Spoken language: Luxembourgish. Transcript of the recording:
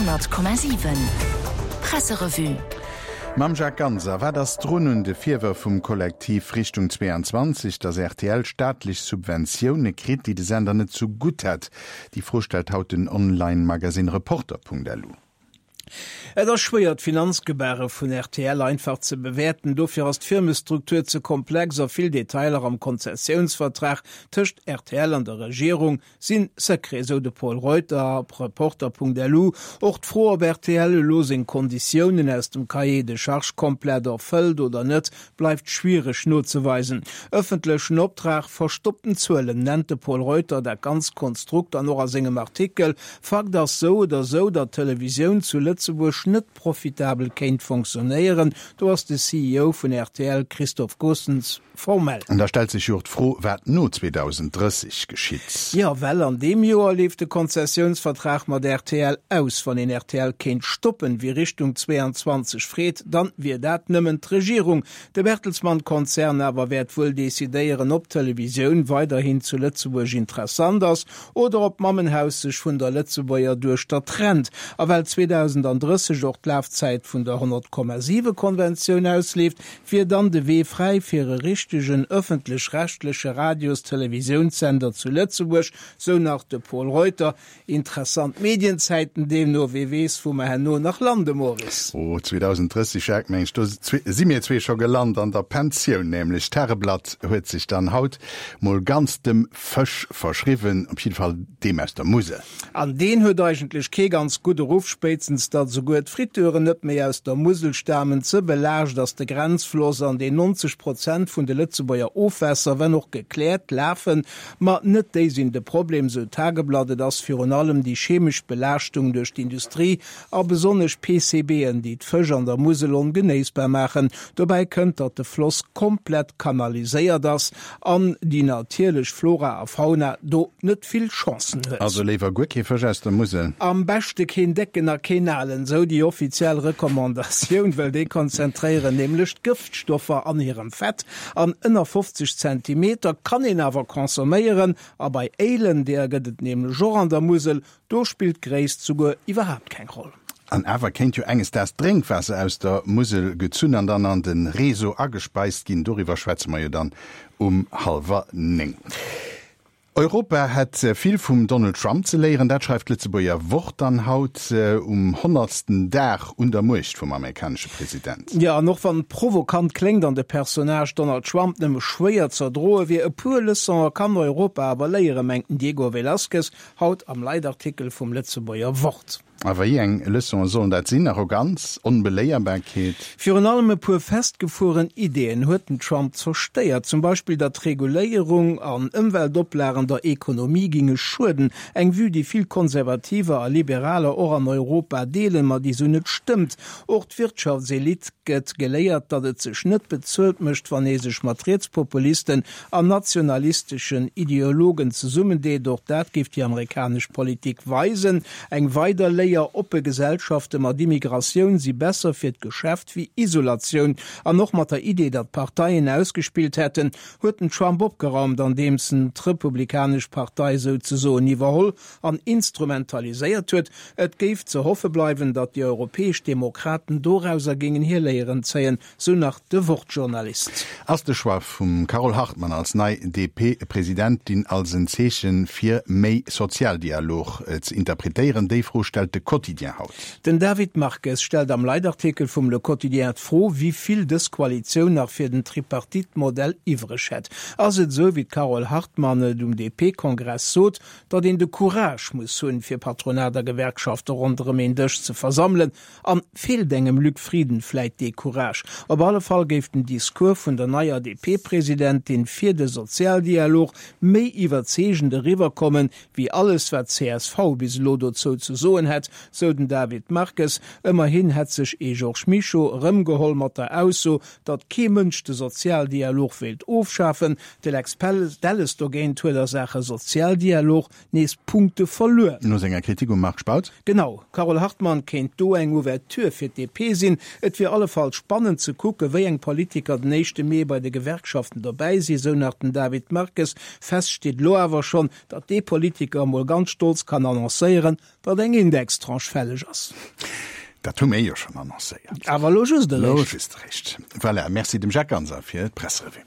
100,7 Presserevue. Mam Jacques Ganser, Wat ass drun un de Virwërf vum Kollektiv Richtung 22, datt rtl staatlech Subventioune kritt, déi de Sender net zu gutt hätt? Déi Fro stellt haut den Online-Magasinn Reporter.lu. Et ass schwéier, d'Finanzgebare vun rtl einfach ze bewäerten. Dofir ass d'Firmestruktur ze komplex a vill Detailer am Konzessiounsvertrag tëscht rtl an der Regierung si Secret, sou de Pol Reuter op Reporter.lu. Och d'Fro, ob rtl elo seng Konditiounen aus dem Cahier de charges komplett erfëllt oder net, bleift schwiereg nozeweisen. Ëffentlechen Optrag, verstoppten Zuelen nennt de Pol Reuter dat ganzt Konstrukt dann och a sengem Artikel. Fakt ass sou oder sou, datt d'Televisioun zu Lëtzebuerg net profitabel kéint fonctionnéieren. Do ass de CEO vun rtl Christophe Goossens formell. An da stellt sech jo och d'Fro, wat no 2030 geschitt. Jo, well an deem Joer leeft de Konzessiounsvertrag mat rtl aus. Wann een rtl kéint stoppen, wéi Richtung 22 freet, dann wier dat nëmmen d'Regierung. De Bertelsmann-Konzern awer wäert wuel decidéieren, ob d'Televisioun weiderhin zu Lëtzebuerg interessant ass oder ob d'Mammenhaus sech vun der Lëtzebuerger Duechter trennt. A well 2030 och d'Lafzäit vun der 100,7 Konventioun ausleeft, wier dann de Wee fräi fir e richtegen ëffentlech-rechtleche Radios-Televisiounssender zu Lëtzebuerg, sou nach de Pol Reuter. Interessant Medienzäiten deemno, wee weess wou mer herno nach lande, Maurice. Oh, 2030, Jacques, meng ech, do si mir zwee scho gelant, an der Pensioun nämlech. D'Tageblatt huet sech dann haut mol ganz dem Fësch verschriwwen, op jidde Fall deem aus der Musel. An deen huet eigentlech kee ganz gudde Ruff, spéitstens datt esouguer d'Friteuren net méi aus der Musel stamen. Ze belaascht ass de Grenzfloss, an deen 90 Prozent vun de Lëtzebuerger Ofwässer, wenn och gekläert, lafen. Ma net déi sinn de Problem, sou d'Tageblatt, et ass virun allem déi chemesch Belaaschtung duerch d'Industrie a besonnesch PCBen, déi d'Fësch an der Musel ongenéissbar maachen. Dobäi kënnt, datt de Floss komplett kanaliséiert ass an déi natierlech Flora a Fauna do net vill Chancen huet. Also léiwer guer kee Fësch aus der Musel? Am beschte keen décken a keen alen, sou déi offiziell Recommandatioun, well déi konzentréieren nämlech d'Gëftstoffer an hirem Fett. An ënner 50 Zentimeter kann een awer consomméieren a bei Éilen, deeër gëtt et nämlech och an der Musel, do spillt d'Gréisst souguer iwwerhaapt keng Roll. An awer kéint jo enges Daags d'Drénkwaasser aus der Musel gezunn an dann an de Réseau agespeist ginn. Doriwwer schwätze mer jo dann um hallwer 9. Europa hätt vill vum Donald Trump ze léieren, dat schreift d'Lëtzebuerger Wort dann haut um honnertsten Dag un der Muecht vum amerikanesche President. Jo, an och wann et provokant kléngt an de Personnage Donald Trump nëmme schwéier z'erdroe wier, e puer Leçone kann Europa awer léieren, mengt den Diego Velazquez haut am Leitartikel vum Lëtzebuerger Wort. A wéi eng Leçonen sollen dat sinn? Arroganz? Onbeléierbarkeet? Virun allem e puer festgefueren Ideeën huet den Trump zerstéiert, zum Beispill datt Reguléierung an Ëmweltoplagen der Ekonomie ginge schueden, eng Vue déi vill Konservativer a Liberaler och an Europa deelen, ma déi sou net stëmmt. Och d'Wirtschaftselite gëtt geléiert, datt et sech net bezuelt mécht, wann ee sech mat Rietspopulisten an nationalisteschen Ideologen zesummendeet. Och dat géif déi amerikanesch Politik weisen. Eng weider Léier, Oppe Gesellschafte mat Immigratioun si besser fir d'Geschäft wéi Isolatioun. An och mat der Idee, datt d'Parteien ausgespillt hätten, huet den Trump opgeraumt, andeems en d'Republikanesch Partei souzesoen iwwerholl an instrumentaliséiert huet. Et géif ze hoffe bleiwen, datt déi europäesch Demokraten dorauser géingen hir Léieren zéien. Sou nach de Wort-Journalist. Ass de Choix vum Carole Hartmann als nei DP-Presidentin als en Zeeche fir méi Sozialdialog ze interpretéieren? Déi Fro stellt de Quotidien haut. Den David Marques stellt am Leitartikel vum Le Quotidien d'Fro, wéi vill dës Koalitioun nach fir den Tripartite-Modell iwwreg hätt. Ass et esou, wéi d'Carole Hartmann et um DP-Kongress sot, datt een de Courage muss hunn, fir Patronat a Gewerkschafte ronderëm een Dësch ze versammelen? An feelt engem Luc Frieden vläit dee Courage? Op alle Fall géif den Discours vun der neier DP-Presidentin fir de Sozialdialog méi iwwerzeegend eriwwerkommen, wéi alles wat csv bis elo dozou ze soen hätt, sou den David Marques. Ëmmerhin hätt sech ee Georges Mischo erëmgeholl mat der Ausso, datt kee Mënsch de Sozialdialog wéilt ofschafen. De Lex Delles dogéint huet a Saache Sozialdialog nees Punkte verluer. No senger Kritik um Marc Spautz. Genau, d'Carole Hartmann kéint do eng Ouverture fir d'DP sinn. Et wier allefalls spannend ze kucken, wéi eng Politiker den éischte Mee bei de Gewerkschaften dobäi sinn, sou nach den David Marques. Fest steet elo awer schonn, datt dee Politiker emol ganz stolz kann annoncéieren, datt eng Indextranche fälleg ass. Dat hu mir jo schonn annoncéiert. Awer elo just eréischt. Elo just eréischt. Voilà, Merci dem Jacques Ganser fir d'Presserevue.